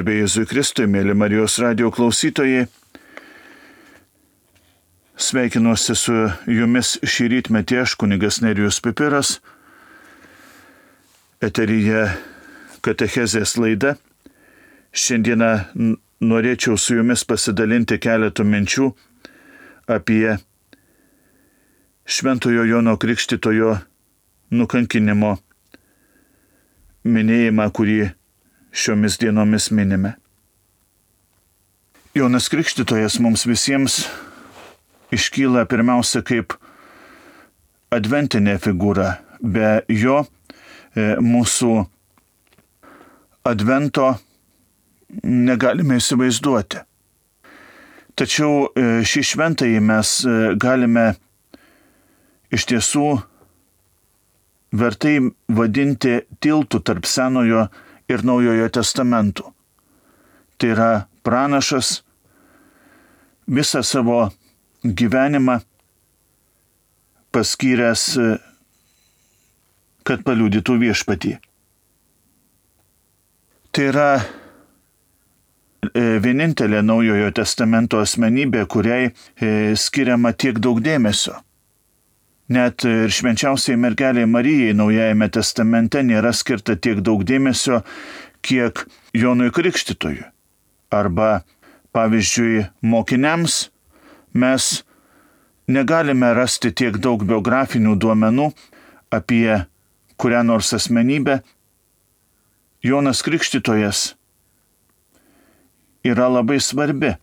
Garbė Jėzui Kristui, mėly Marijos radijo klausytojai, sveikinuosi su jumis šį rytmetį aš, kunigas Nerijus Pipiras, eteryje katechezės laida. Šiandieną norėčiau su jumis pasidalinti keletų minčių apie Šventojo Jono Krikštytojo nukankinimo minėjimą, kurį šiomis dienomis minime. Jonas Krikštytojas mums visiems iškyla pirmiausia kaip adventinė figūra. Be jo mūsų advento negalime įsivaizduoti. Tačiau šį šventąjį mes galime iš tiesų vertai vadinti tiltų tarp Senojo ir Naujojo testamentų. Tai yra pranašas visą savo gyvenimą paskyręs, kad paliudytų viešpatį. Tai yra vienintelė Naujojo testamento asmenybė, kuriai skiriama tiek daug dėmesio. Net ir švenčiausiai mergelei Marijai Naujajame testamente nėra skirta tiek daug dėmesio, kiek Jonui Krikštytojui. Arba, pavyzdžiui, mokiniams mes negalime rasti tiek daug biografinių duomenų apie kurią nors asmenybę. Jonas Krikštytojas yra labai svarbi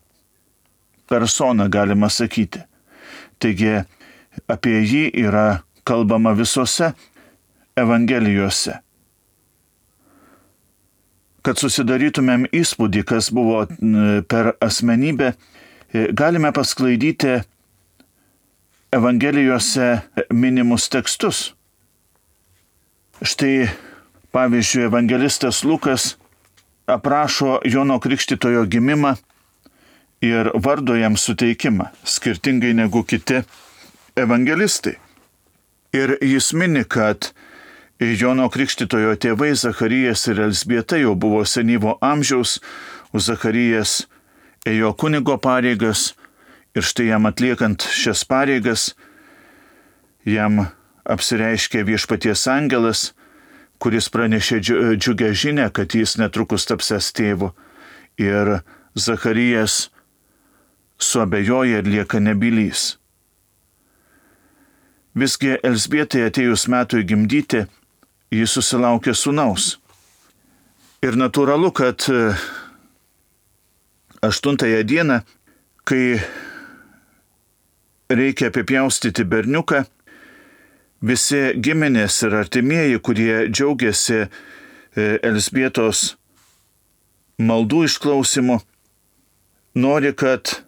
persona, galima sakyti. Taigi, apie jį yra kalbama visose evangelijose. Kad susidarytumėm įspūdį, kas buvo per asmenybę, galime pasklaidyti evangelijose minimus tekstus. Štai, pavyzdžiui, evangelistas Lukas aprašo Jono Krikštytojo gimimą ir vardo jam suteikimą, skirtingai negu kiti evangelistai. Ir jis mini, kad Jono Krikštytojo tėvai Zacharijas ir Elzbieta jau buvo senyvo amžiaus, o Zacharijas ėjo kunigo pareigas ir štai jam atliekant šias pareigas, jam apsireiškė viešpaties angelas, kuris pranešė džiugę žinę, kad jis netrukus tapsęs tėvu. Ir Zacharijas suabejoja ir lieka nebylys. Visgi Elzbietai atėjus metui gimdyti, jis susilaukė sūnaus. Ir natūralu, kad 8 dieną, kai reikia apipjaustyti berniuką, visi giminės ir artimieji, kurie džiaugiasi Elzbietos maldų išklausimu, nori, kad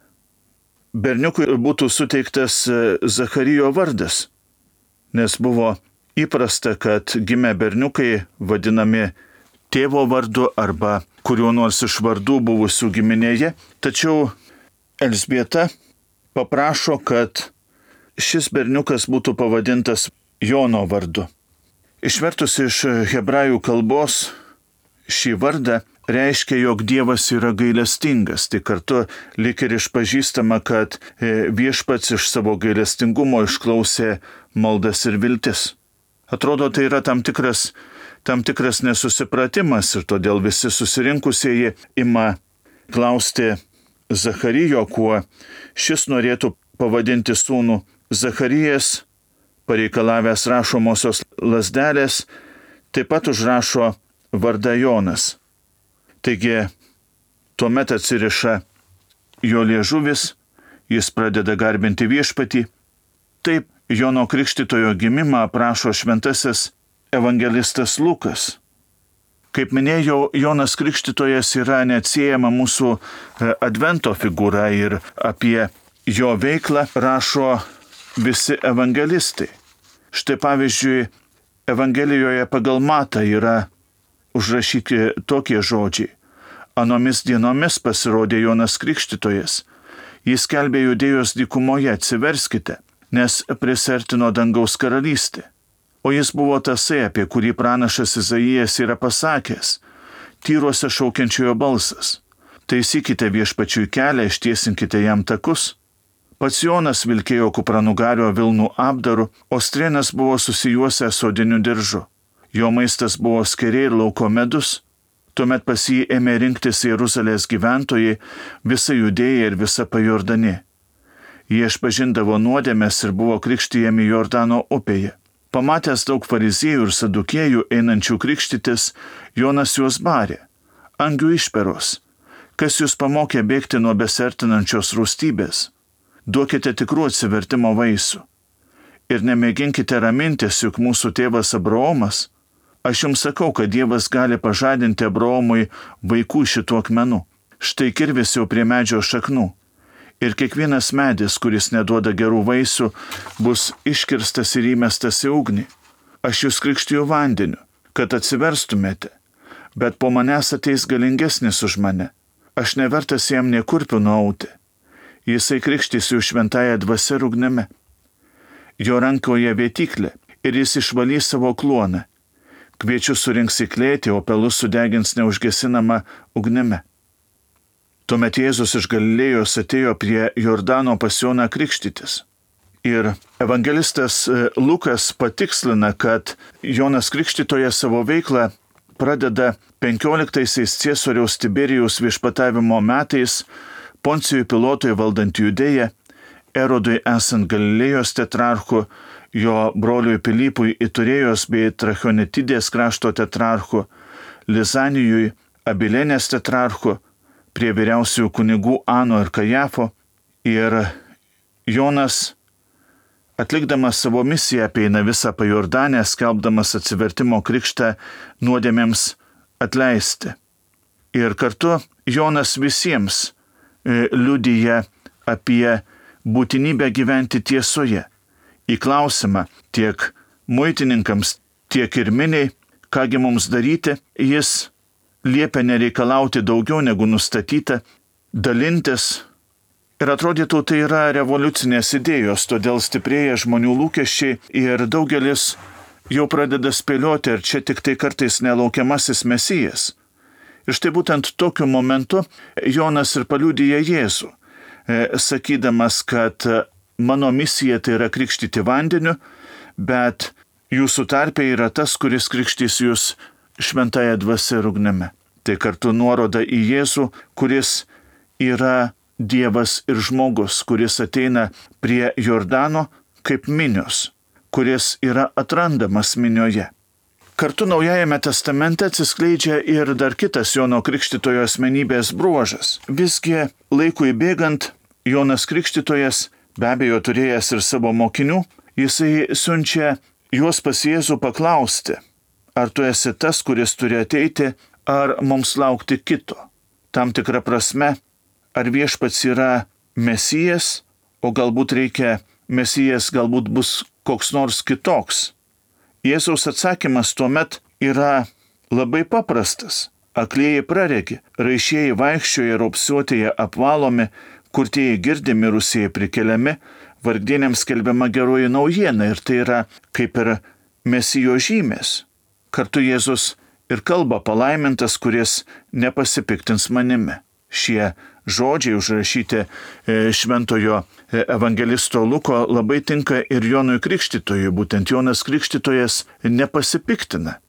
berniukui būtų suteiktas Zacharijo vardas, nes buvo įprasta, kad gimę berniukai vadinami tėvo vardu arba kuriuo nors iš vardų buvusių giminėje. Tačiau Elzbieta paprašo, kad šis berniukas būtų pavadintas Jono vardu. Išvertus iš hebrajų kalbos šį vardą reiškia, jog Dievas yra gailestingas. Tai kartu lyg ir išpažįstama, kad viešpats iš savo gailestingumo išklausė maldas ir viltis. Atrodo, tai yra tam tikras nesusipratimas ir todėl visi susirinkusieji ima klausti Zacharijo, kuo šis norėtų pavadinti sūnų. Zacharijas, pareikalavęs rašomosios lazdelės, taip pat užrašo vardą Jonas. Taigi, tuomet atsiriša jo liežuvis, jis pradeda garbinti viešpatį. Taip, Jono Krikštytojo gimimą aprašo šventasis evangelistas Lukas. Kaip minėjau, Jonas Krikštytojas yra neatsiejama mūsų advento figūra ir apie jo veiklą rašo visi evangelistai. Štai pavyzdžiui, Evangelijoje pagal Matą yra užrašyti tokie žodžiai. Anomis dienomis pasirodė Jonas Krikštytojas. Jis skelbė Judėjos dykumoje, atsiverskite, nes prisertino dangaus karalystė. O jis buvo tasai, apie kurį pranašas Izaijas yra pasakęs. tyruose šaukiančiojo balsas. Taisykite viešpačiui kelią, ištiesinkite jam takus. Pats Jonas vilkėjo kupranugario vilnų apdaru, o strėnas buvo susijuosęs odiniu diržu. Jo maistas buvo skėriai ir lauko medus. Tuomet pas jį ėmė rinktis Jeruzalės gyventojai, visa Judėja ir visa Pajordanė. Jie išpažindavo nuodėmes ir buvo krikštijami Jordano upėje. Pamatęs daug fariziejų ir sadukėjų einančių krikštytis, Jonas juos barė. Angių išperos, kas jūs pamokė bėgti nuo besertinančios rūstybės? Duokite tikrų atsivertimo vaisių. Ir nemėginkite ramintis, juk mūsų tėvas Abraomas. Aš jums sakau, kad Dievas gali pažadinti Abraomui vaikų šituo akmenu. Štai kirvis jau prie medžio šaknų. Ir kiekvienas medis, kuris neduoda gerų vaisių, bus iškirstas ir įmestas į ugnį. Aš jūs krikštiju vandeniu, kad atsiverstumėte, bet po manęs ateis galingesnis už mane. Aš nevertas jam nė kurpių nuauti. Jisai krikštys jų šventąją dvasią ir ugnimi. Jo rankoje vėtyklė ir jis išvalys savo kluoną. Kviečius surinks į klėtį, o pelus sudegins neužgesinama ugnimi. Tuomet Jėzus iš Galilėjos atėjo prie Jordano pas Joną krikštytis. Ir evangelistas Lukas patikslina, kad Jonas Krikštytojas savo veiklą pradeda 15-aisiais Ciesoriaus Tiberijaus viešpatavimo metais, Poncijui Pilotui valdant Judėją, Erodui esant Galilėjos tetrarchu, jo broliui Pilypui Iturėjos bei Trachonitidės krašto tetrarchu, Lizanijui Abilenės tetrarchu, prie vyriausiųjų kunigų Ano ir Kajafo, ir Jonas, atlikdamas savo misiją, apeina visą Pajordanę, skelbdamas atsivertimo krikštą nuodėmėms atleisti. Ir kartu Jonas visiems liudija apie būtinybę gyventi tiesoje. Į klausimą tiek muitininkams, tiek ir miniai, kągi mums daryti, jis liepia nereikalauti daugiau negu nustatyta, dalintis. Ir atrodytų, tai yra revoliucinės idėjos, todėl stiprėja žmonių lūkesčiai ir daugelis jau pradeda spėlioti, ar čia tik tai kartais nelaukiamasis Mesijas. Ir štai būtent tokiu momentu Jonas ir paliudija Jėzų, sakydamas, kad mano misija tai yra krikštyti vandeniu, bet jūsų tarpe yra tas, kuris krikštys jūs šventąją dvasią ir ugnimi. Tai kartu nuoroda į Jėzų, kuris yra Dievas ir žmogus, kuris ateina prie Jordano kaip minios, kuris yra atrandamas minioje. Kartu Naujajame testamente atsiskleidžia ir dar kitas Jono Krikštytojo asmenybės bruožas. Visgi laikui bėgant, Jonas Krikštytojas, be abejo turėjęs ir savo mokinių, jisai siunčia juos pas Jėzų paklausti, ar tu esi tas, kuris turi ateiti, ar mums laukti kito. Tam tikra prasme, ar viešpats yra Mesijas, o galbūt reikia Mesijas, galbūt bus koks nors kitoks. Jėzaus atsakymas tuomet yra labai paprastas. Aklieji praregi, raišieji vaikščioja, raupsuotieji apvalomi, kurtieji girdi, mirusieji prikeliami, vargdieniams skelbiama geroji naujiena ir tai yra kaip ir Mesijo žymės. Kartu Jėzus ir kalba palaimintas, kuris nepasipiktins manimi. Šie žodžiai užrašyti šventojo evangelisto Luko labai tinka ir Jonui Krikštytojui. Būtent Jonas Krikštytojas nepasipiktina.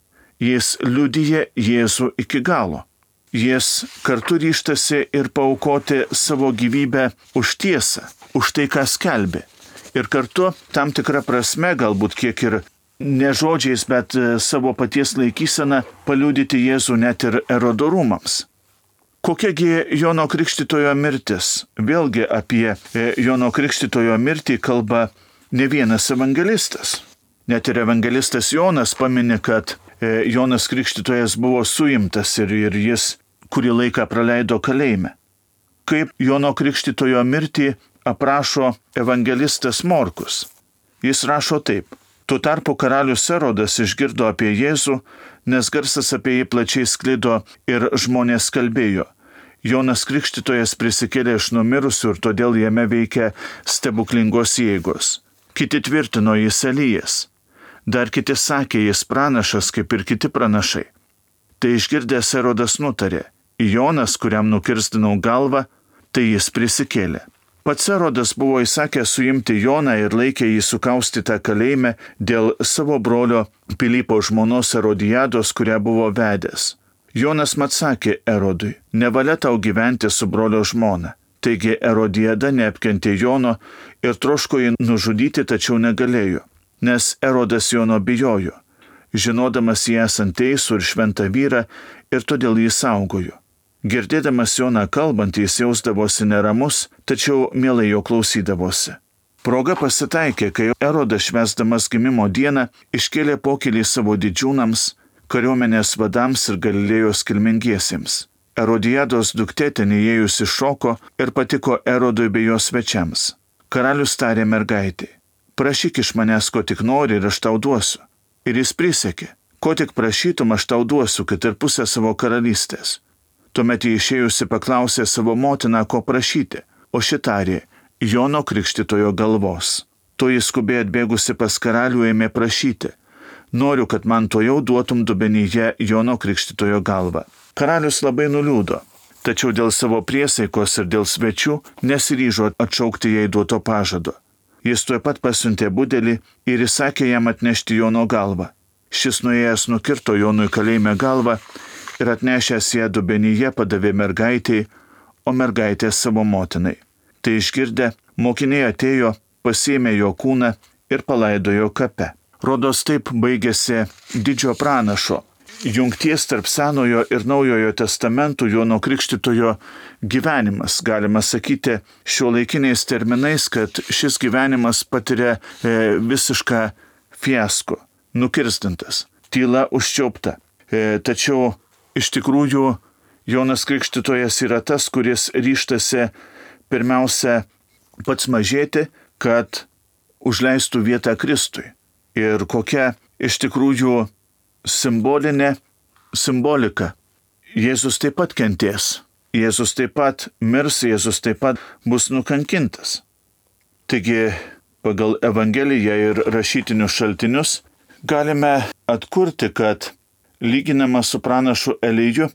Jis liudija Jėzų iki galo. Jis kartu ryžtasi ir paaukoti savo gyvybę už tiesą, už tai, ką skelbė. Ir kartu tam tikra prasme, galbūt kiek ir ne žodžiais, bet savo paties laikyseną paliudyti Jėzų net ir Erodo rūmams. Kokiagi Jono Krikštytojo mirtis? Vėlgi apie Jono Krikštytojo mirtį kalba ne vienas evangelistas. Net ir evangelistas Jonas pamini, kad Jonas Krikštytojas buvo suimtas ir jis kurį laiką praleido kalėjime. Kaip Jono Krikštytojo mirtį aprašo evangelistas Morkus. Jis rašo taip. Tuo tarpu karalius Erodas išgirdo apie Jėzų, nes garsas apie jį plačiai sklido ir žmonės kalbėjo. Jonas Krikštytojas prisikėlė iš numirusių ir todėl jame veikia stebuklingos jėgos. Kiti tvirtino jis Elijas. Dar kiti sakė jis pranašas kaip ir kiti pranašai. Tai išgirdęs Erodas nutarė, Jonas, kuriam nukirsdinau galvą, tai jis prisikėlė. Pats Erodas buvo įsakęs suimti Joną ir laikė jį sukaustytą kalėjime dėl savo brolio Pilypo žmonos Erodijados, kurią buvo vedęs. Jonas mat sakė Erodui, nevalia tau gyventi su brolio žmona. Taigi Erodijada neapkentė Jono ir troško jį nužudyti, tačiau negalėjo, nes Erodas Jono bijojo, žinodamas jį esant teisų ir šventą vyrą, ir todėl jį saugojo. Girdėdamas Joną kalbant, jis jausdavosi neramus, tačiau mielai jo klausydavosi. Proga pasitaikė, kai Erodas švęsdamas gimimo dieną iškėlė pokylį savo didžiūnams, kariuomenės vadams ir Galilėjos kilmingiesiems. Erodijados duktė ten įėjusi šoko ir patiko Erodui bei jo svečiams. Karalius tarė mergaitei, prašyk iš manęs, ko tik nori, ir aš tau duosiu. Ir jis prisiekė, ko tik prašytum, aš tau duosiu, kad ir pusę savo karalystės. Tuomet jį išėjusi paklausė savo motiną, ko prašyti, o ši tarė, Jono Krikštytojo galvos. To jis skubiai atbėgusi pas karalių ėmė prašyti, noriu, kad man tojau duotum dubenyje Jono Krikštytojo galvą. Karalius labai nuliūdo, tačiau dėl savo priesaikos ir dėl svečių nesiryžo atšaukti jai duoto pažado. Jis tuoj pat pasiuntė budelį ir įsakė jam atnešti Jono galvą. Šis nuėjęs nukirto Jonui kalėjime galvą ir atnešęs ją dubenyje padavė mergaitei, o mergaitė savo motinai. Tai išgirdę, mokiniai atėjo, pasiėmė jo kūną ir palaidojo kape. Rodos taip baigėsi didžio pranašo, jungties tarp Senojo ir Naujojo testamentų Jono Krikštytojo gyvenimas. Galima sakyti šiuolaikiniais terminais, kad šis gyvenimas patiria visišką fiasko, nukirstintas, tyla užčiaupta. Tačiau iš tikrųjų Jonas Krikštytojas yra tas, kuris ryžtasi pirmiausia pats mažėti, kad užleistų vietą Kristui. Ir kokia iš tikrųjų simbolika. Jėzus taip pat kentės. Jėzus taip pat mirs, Jėzus taip pat bus nukankintas. Taigi, pagal Evangeliją ir rašytinius šaltinius galime atkurti, kad lyginama su pranašu Eliju,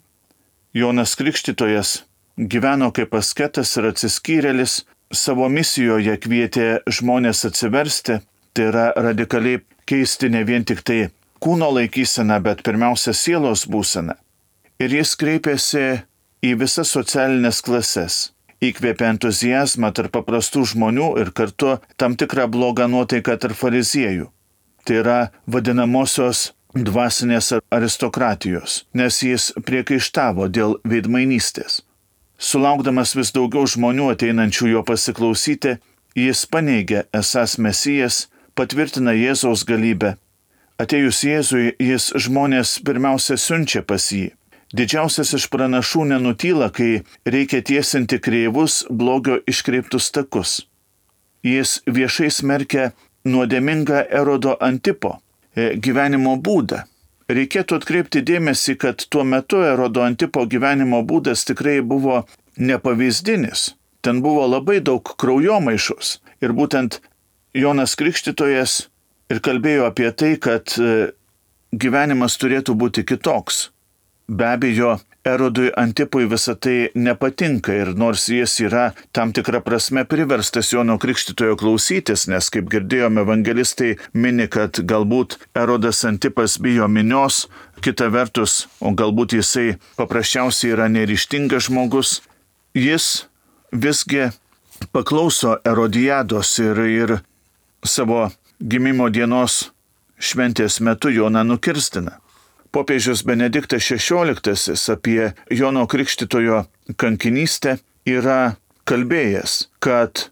Jonas Krikštytojas gyveno kaip asketas ir atsiskyrėlis, savo misijoje kvietė žmonės atsiversti, tai yra radikaliai keisti ne vien tik tai kūno laikyseną, bet pirmiausia sielos būseną. Ir jis kreipėsi į visas socialinės klases, įkvėpė entuziazmą tarp paprastų žmonių ir kartu tam tikrą blogą nuotaiką tarp fariziejų. Tai yra vadinamosios dvasinės aristokratijos, nes jis priekaištavo dėl veidmainystės. Sulaukdamas vis daugiau žmonių ateinančių jo pasiklausyti, jis paneigė esąs Mesijas, patvirtina Jėzaus galybę. Atėjus Jėzui, jis žmonės pirmiausia siunčia pas jį. Didžiausias iš pranašų nenutyla, kai reikia tiesinti kreivus, blogio iškreiptus takus. Jis viešai smerkia nuodėmingą Erodo Antipo gyvenimo būdą. Reikėtų atkreipti dėmesį, kad tuo metu Erodo Antipo gyvenimo būdas tikrai buvo nepavyzdinis. Ten buvo labai daug kraujomaišos. Ir būtent Jonas Krikštytojas ir kalbėjo apie tai, kad gyvenimas turėtų būti kitoks. Be abejo, Erodui Antipui visą tai nepatinka ir nors jis yra tam tikrą prasme priverstas Jono Krikštytojo klausytis, nes kaip girdėjome, evangelistai mini, kad galbūt Erodas Antipas bijo minios, kita vertus, o galbūt jisai paprasčiausiai yra neryžtingas žmogus, jis visgi paklauso Erodijados ir savo gimimo dienos šventės metu Joną nukirstina. Popiežius Benediktas XVI apie Jono Krikštytojo kankinystę yra kalbėjęs, kad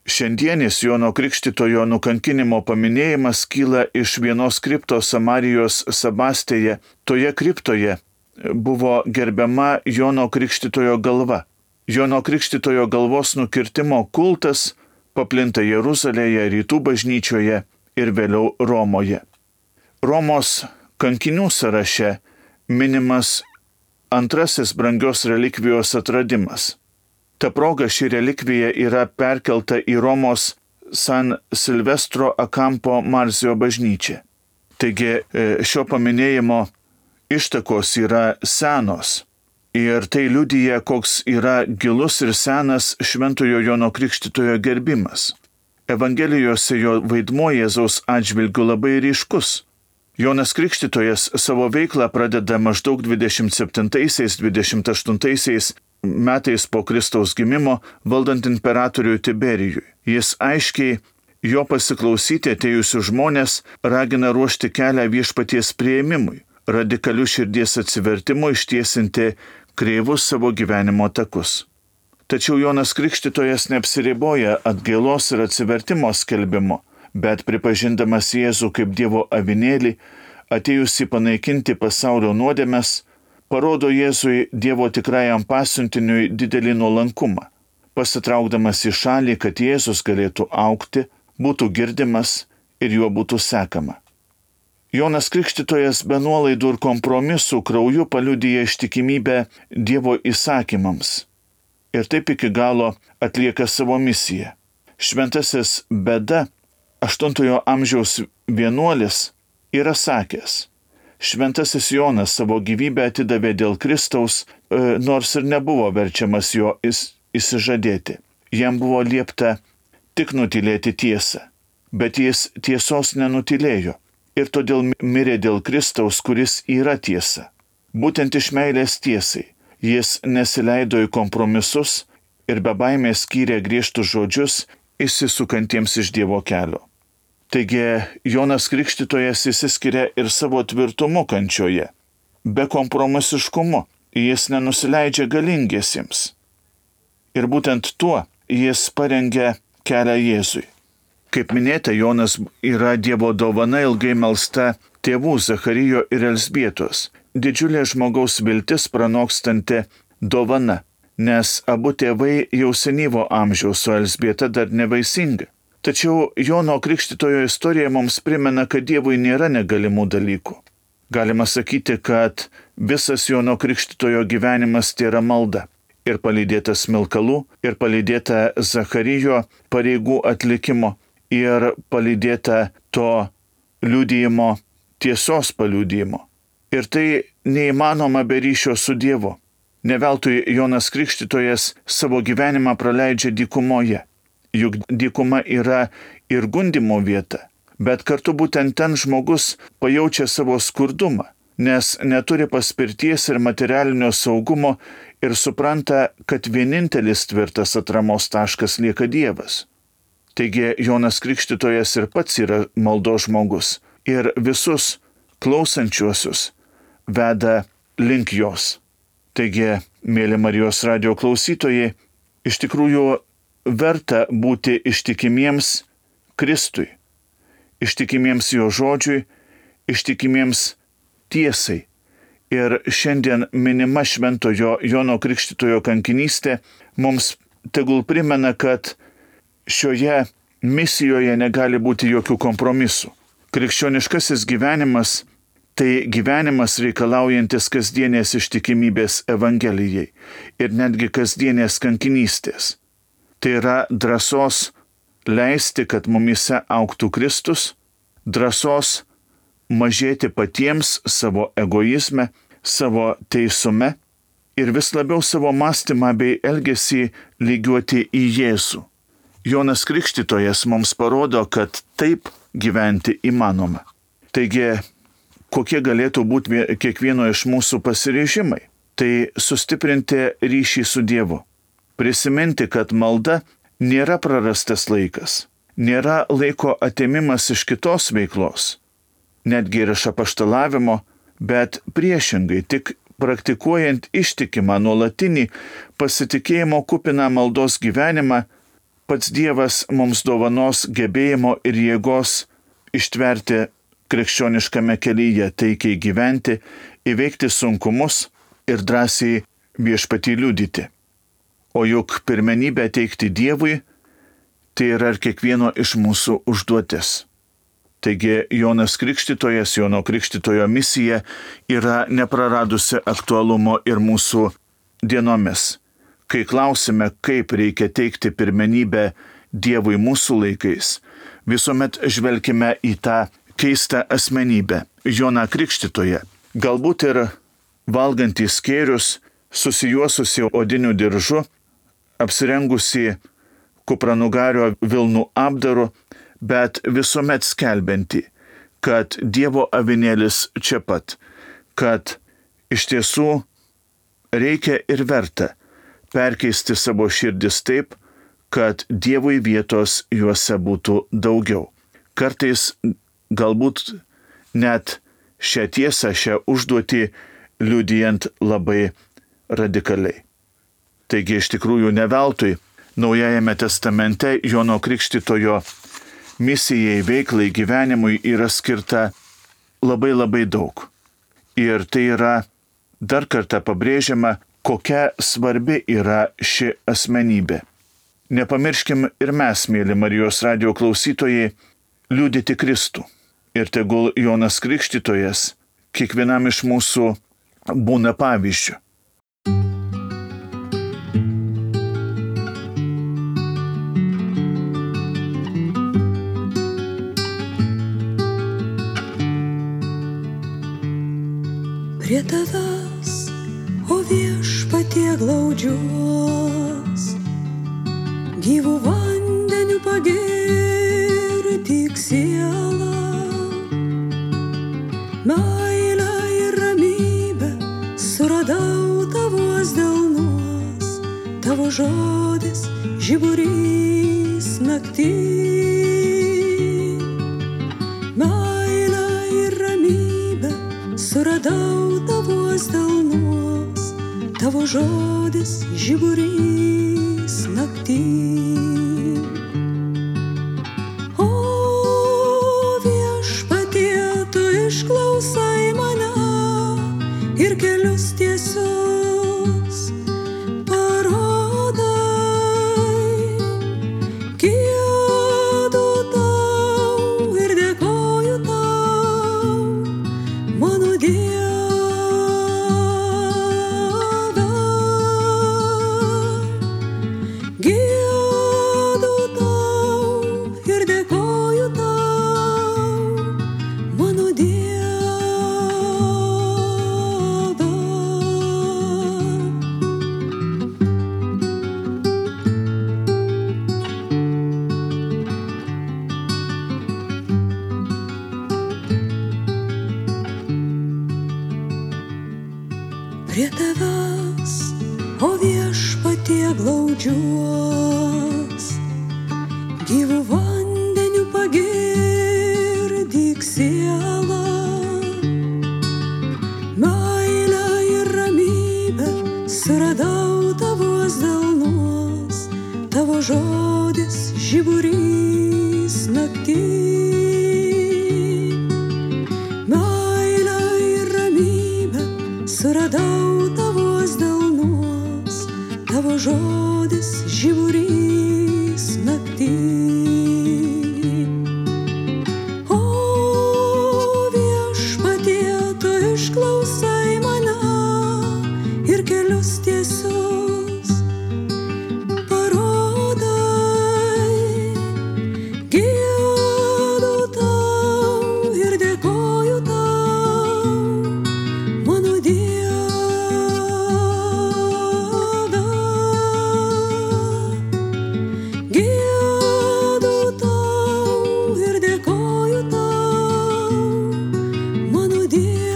šiandienis Jono Krikštytojo nukankinimo paminėjimas kyla iš vienos kriptos Samarijos Sabastėje. Toje kriptoje buvo gerbiama Jono Krikštytojo galva. Jono Krikštytojo galvos nukirtimo kultas paplinta Jeruzalėje, Rytų bažnyčioje ir vėliau Romoje. Romos kankinių sąraše minimas antrasis brangios relikvijos atradimas. Ta proga ši relikvija yra perkelta į Romos San Silvestro a Campo Marzio bažnyčią. Taigi šio paminėjimo ištakos yra senos. Ir tai liudija, koks yra gilus ir senas Šventojo Jono Krikštytojo gerbimas. Evangelijose jo vaidmuo Jėzaus atžvilgiu labai ryškus. Jonas Krikštytojas savo veiklą pradeda maždaug 27-28 metais po Kristaus gimimo valdant imperatoriui Tiberijui. Jis aiškiai jo pasiklausyti atėjusių žmonės ragina ruošti kelią viešpaties priėmimui, radikalių širdies atsivertimo ištiesinti kreivus savo gyvenimo takus. Tačiau Jonas Krikštytojas neapsiriboja atgailos ir atsivertimo skelbimo, bet pripažindamas Jėzų kaip Dievo avinėlį, atėjusi panaikinti pasaulio nuodėmes, parodo Jėzui Dievo tikrajam pasiuntiniui didelį nuolankumą, pasitraukdamas į šalį, kad Jėzus galėtų augti, būtų girdimas ir juo būtų sekama. Jonas Krikštytojas be nuolaidų ir kompromisų krauju paliudija ištikimybę Dievo įsakymams ir taip iki galo atlieka savo misiją. Šventasis Beda, 8 amžiaus vienuolis, yra sakęs: Šventasis Jonas savo gyvybę atidavė dėl Kristaus, nors ir nebuvo verčiamas jo išsižadėti. Jam buvo liepta tik nutylėti tiesą, bet jis tiesos nenutylėjo ir todėl mirė dėl Kristaus, kuris yra tiesa. Būtent iš meilės tiesai jis nesileido į kompromisus ir be baimės skyrė griežtus žodžius išsisukantiems iš Dievo kelio. Taigi Jonas Krikštytojas išsiskiria ir savo tvirtumu kančioje. Be kompromisiškumu jis nenusileidžia galingiesiems. Ir būtent tuo jis parengia kelią Jėzui. Kaip minėta, Jonas yra Dievo dovana ilgai melsta tėvų Zacharijo ir Elzbietos, didžiulė žmogaus viltis pranokstanti dovana, nes abu tėvai jau senyvo amžiaus, o Elzbieta dar nevaisinga. Tačiau Jono Krikštytojo istorija mums primena, kad Dievui nėra negalimų dalykų. Galima sakyti, kad visas Jono Krikštytojo gyvenimas tai yra malda. Ir palydėta smilkalų, ir palydėta Zacharijo pareigų atlikimo, ir palydėta to liudijimo, tiesos paliudijimo. Ir tai neįmanoma be ryšio su Dievu. Neveltui Jonas Krikštytojas savo gyvenimą praleidžia dykumoje. Juk dykuma yra ir gundymo vieta, bet kartu būtent ten žmogus pajaučia savo skurdumą, nes neturi paspirties ir materialinio saugumo ir supranta, kad vienintelis tvirtas atramos taškas lieka Dievas. Taigi Jonas Krikštytojas ir pats yra maldos žmogus ir visus klausančiuosius veda link jos. Taigi, mėly Marijos radijo klausytojai, iš tikrųjų verta būti ištikimiems Kristui, ištikimiems jo žodžiui, ištikimiems tiesai. Ir šiandien minima Šventojo Jono Krikštytojo kankinystė mums tegul primena, kad šioje misijoje negali būti jokių kompromisų. Krikščioniškasis gyvenimas tai gyvenimas reikalaujantis kasdienės ištikimybės Evangelijai ir netgi kasdienės kankinystės. Tai yra drąsos leisti, kad mumyse augtų Kristus, drąsos mažėti patiems savo egoizme, savo teisume ir vis labiau savo mąstymą bei elgesį lygiuoti į Jėzų. Jonas Krikštytojas mums parodo, kad taip gyventi įmanoma. Taigi, kokie galėtų būti kiekvieno iš mūsų pasiryžimai? Tai sustiprinti ryšį su Dievu. Prisiminti, kad malda nėra prarastas laikas, nėra laiko atėmimas iš kitos veiklos, netgi ir iš apaštalavimo, bet priešingai tik praktikuojant ištikimą nuolatinį pasitikėjimo kupiną maldos gyvenimą, pats Dievas mums dovanos gebėjimo ir jėgos ištverti krikščioniškame kelyje, taikiai gyventi, įveikti sunkumus ir drąsiai viešpatį liudyti. O juk pirmenybę teikti Dievui, tai yra ir kiekvieno iš mūsų užduotis. Taigi Jonas Krikštytojas, Jono Krikštytojo misija yra nepraradusi aktualumo ir mūsų dienomis. Kai klausime, kaip reikia teikti pirmenybę Dievui mūsų laikais, visuomet žvelkime į tą keistą asmenybę, Joną Krikštytoją, galbūt ir valgantys skėrius, susijuosusi odiniu diržu, apsirengusi kupranugario vilnų apdaru, bet visuomet skelbianti, kad Dievo avinėlis čia pat, kad iš tiesų reikia ir verta perkeisti savo širdis taip, kad Dievui vietos juose būtų daugiau. Kartais galbūt net šią tiesą, šią užduotį liudijant labai radikaliai. Taigi iš tikrųjų ne veltui Naujajame testamente Jono Krikštytojo misijai, veiklai, gyvenimui yra skirta labai daug. Ir tai yra dar kartą pabrėžiama, kokia svarbi yra ši asmenybė. Nepamirškim ir mes, mėly Marijos radijo klausytojai, liudyti Kristų. Ir tegul Jonas Krikštytojas kiekvienam iš mūsų būna pavyzdžiu. Prie tavęs, o Viešpatie, glaudžiuos, gyvų vandenių pagirdyk sielą. Meilę ir ramybę suradau tavos delnuos, tavo žodis žiburys naktį. Meilę ir ramybę suradau tavos delnuos, tavo žodis žiburys naktį. O Viešpatie, tu išklausai mane ir kelius tiesius parodai. Giedu tau ir dėkoju tau, mano Dieve. Giedu tau ir dėkoju tau, mano Dieve. Prie tavęs, o Viešpatie, glaudžiuos, gyvų vandenių pagirdyk sielą. Meilę ir ramybę suradau tavos delnuos, tavo žodis žiburys naktį. Meilę ir ramybę suradau tavos delnuos, tavo žodis žiburys naktį. O Viešpatie, tu išklausai mane ir kelius tiesius parodai. Giedu tau ir dėkoju tau, mano Dieve. Giedu tau ir dėkoju tau, mano Dieve.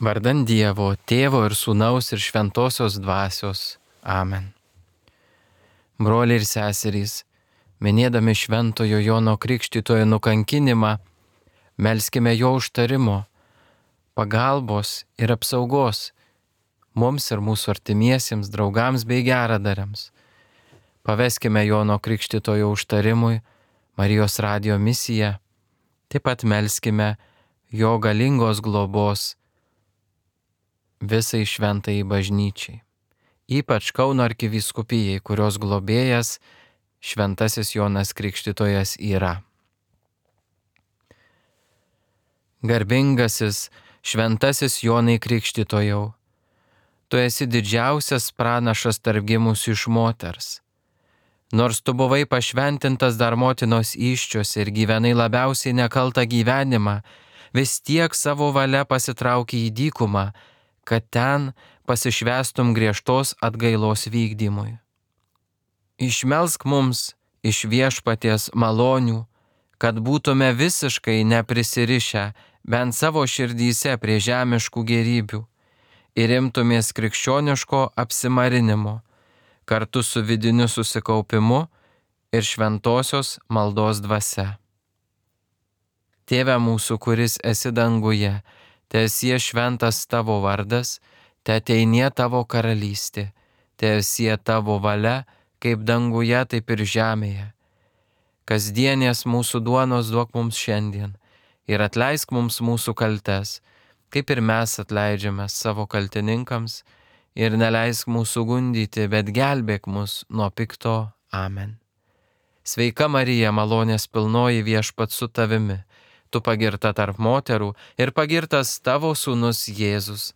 Vardan Dievo, Tėvo ir Sūnaus ir Šventosios Dvasios. Amen. Broliai ir seserys, minėdami Šventojo Jono Krikštytojo nukankinimą, melskime jo užtarimo, pagalbos ir apsaugos mums ir mūsų artimiesiems, draugams bei geradariams. Paveskime Jono Krikštytojo užtarimui Marijos radijo misiją, taip pat melskime jo galingos globos visai šventajai bažnyčiai, ypač Kauno arkivyskupijai, kurios globėjas šventasis Jonas Krikštytojas yra. Garbingasis šventasis Jonai Krikštytojau, tu esi didžiausias pranašas tarp gimusių iš moters. Nors tu buvai pašventintas dar motinos įsčiose ir gyvenai labiausiai nekaltą gyvenimą, vis tiek savo valia pasitraukė į dykumą, kad ten pasišvęstum griežtos atgailos vykdymui. Išmelsk mums iš Viešpaties malonių, kad būtume visiškai neprisirišę bent savo širdyse prie žemiškų gėrybių ir imtumės krikščioniško apsimarinimo, kartu su vidiniu susikaupimu ir šventosios maldos dvasia. Tėve mūsų, kuris esi danguje, teesie šventas tavo vardas, teateinie tavo karalystė, teesie tavo valia, kaip danguje, taip ir žemėje. Kasdienės mūsų duonos duok mums šiandien ir atleisk mums mūsų kaltes, kaip ir mes atleidžiame savo kaltininkams, ir neleisk mūsų gundyti, bet gelbėk mus nuo pikto. Amen. Sveika Marija, malonės pilnoji, Viešpats su tavimi, tu pagirta tarp moterų ir pagirtas tavo sūnus Jėzus.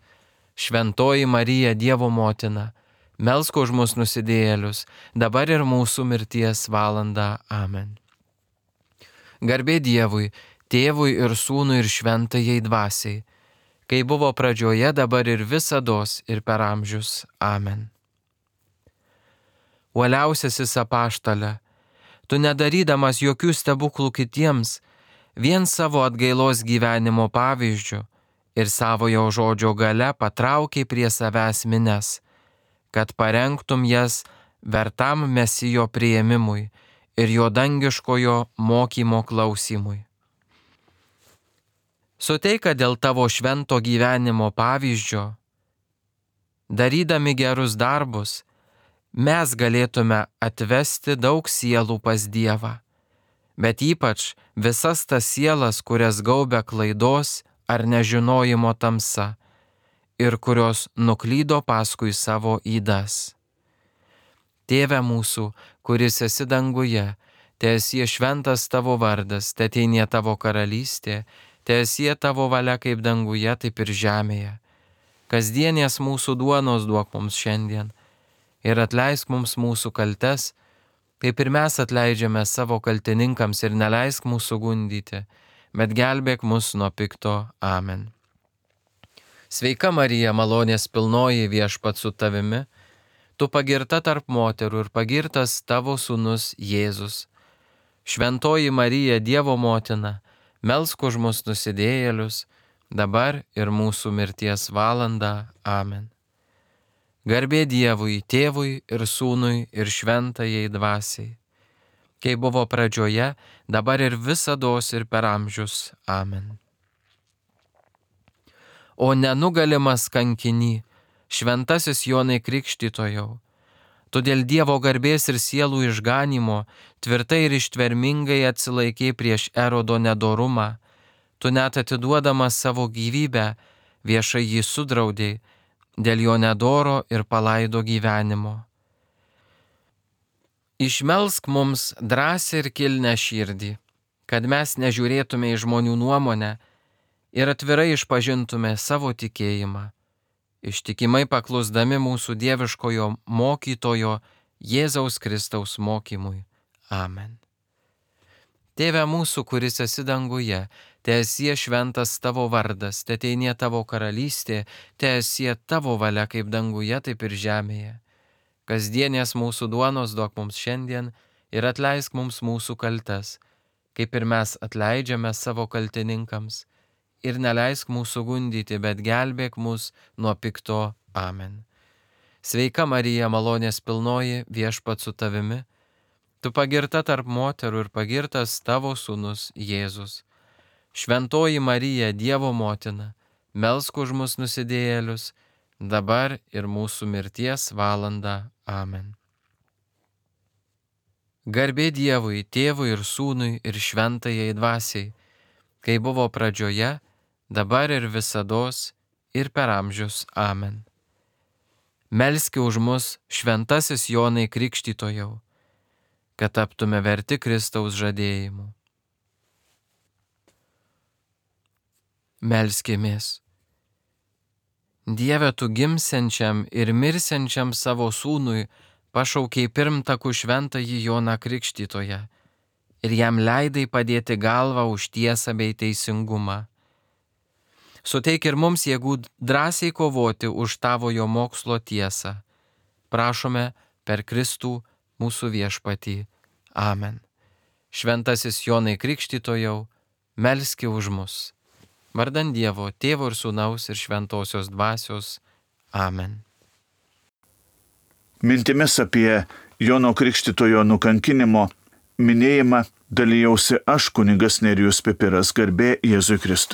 Šventoji Marija, Dievo motina, melsk už mus nusidėjėlius, dabar ir mūsų mirties valandą. Amen. Garbė Dievui, Tėvui ir Sūnui ir Šventajai Dvasiai, kai buvo pradžioje, dabar ir visados ir per amžius. Amen. Uoliausiasis apaštale, tu nedarydamas jokių stebuklų kitiems, vien savo atgailos gyvenimo pavyzdžių ir savojo žodžio gale patraukiai prie savęs mines, kad parengtum jas vertam Mesijo priėmimui ir jo dangiškojo mokymo klausimui. Suteik, kad dėl tavo švento gyvenimo pavyzdžio, darydami gerus darbus, mes galėtume atvesti daug sielų pas Dievą, bet ypač visas tas sielas, kurias gaubia klaidos ar nežinojimo tamsa ir kurios nuklydo paskui savo ydas. Tėve mūsų, kuris esi danguje, teesie šventas tavo vardas, teateinie tavo karalystė, teesie tavo valia kaip danguje, taip ir žemėje. Kasdienės mūsų duonos duok mums šiandien ir atleisk mums mūsų kaltes, kaip ir mes atleidžiame savo kaltininkams, ir neleisk mūsų gundyti, bet gelbėk mus nuo pikto. Amen. Sveika Marija, malonės pilnoji, Viešpats su tavimi, tu pagirta tarp moterų ir pagirtas tavo sūnus Jėzus. Šventoji Marija, Dievo motina, melsk už mus nusidėjėlius, dabar ir mūsų mirties valandą. Amen. Garbė Dievui, Tėvui ir Sūnui ir Šventajai Dvasiai, kai buvo pradžioje, dabar ir visados ir per amžius. Amen. O nenugalimas kankiny, šventasis Jonai Krikštytojau, tu dėl Dievo garbės ir sielų išganymo tvirtai ir ištvermingai atsilaikei prieš Erodo nedorumą, tu net atiduodamas savo gyvybę viešai jį sudraudei dėl jo nedoro ir palaido gyvenimo. Išmelsk mums drąsią ir kilnią širdį, kad mes nežiūrėtume į žmonių nuomonę ir atvirai išpažintume savo tikėjimą, ištikimai paklusdami mūsų dieviškojo mokytojo Jėzaus Kristaus mokymui. Amen. Tėve mūsų, kuris esi danguje, teesie šventas tavo vardas, teateinie tavo karalystė, teesie tavo valia kaip danguje, taip ir žemėje. Kasdienės mūsų duonos duok mums šiandien ir atleisk mums mūsų kaltes, kaip ir mes atleidžiame savo kaltininkams, ir neleisk mūsų gundyti, bet gelbėk mus nuo pikto. Amen. Sveika Marija, malonės pilnoji, Viešpats su tavimi, tu pagirta tarp moterų ir pagirtas tavo sūnus Jėzus. Šventoji Marija, Dievo motina, melsk už mus nusidėjėlius, dabar ir mūsų mirties valandą. Amen. Garbė Dievui, Tėvui ir Sūnui ir Šventajai Dvasiai, kai buvo pradžioje, dabar ir visados ir per amžius. Amen. Melski už mus, šventasis Jonai Krikštytojau, kad taptume verti Kristaus žadėjimų. Melskimės. Dieve, tu gimsiančiam ir mirsiančiam savo sūnui pašaukei pirmtakų šventąjį Joną Krikštytoją ir jam leidai padėti galvą už tiesą bei teisingumą. Suteik ir mums jėgų drąsiai kovoti už tavojo mokslo tiesą. Prašome per Kristų mūsų viešpatį. Amen. Šventasis Jonai Krikštytojau, melski už mus. Vardan Dievo, Tėvo ir Sūnaus ir Šventosios Dvasios. Amen. Mintimis apie Jono Krikštytojo nukankinimo minėjimą dalijausi aš, kunigas Nerijus Pipiras, garbė Jėzui Kristui.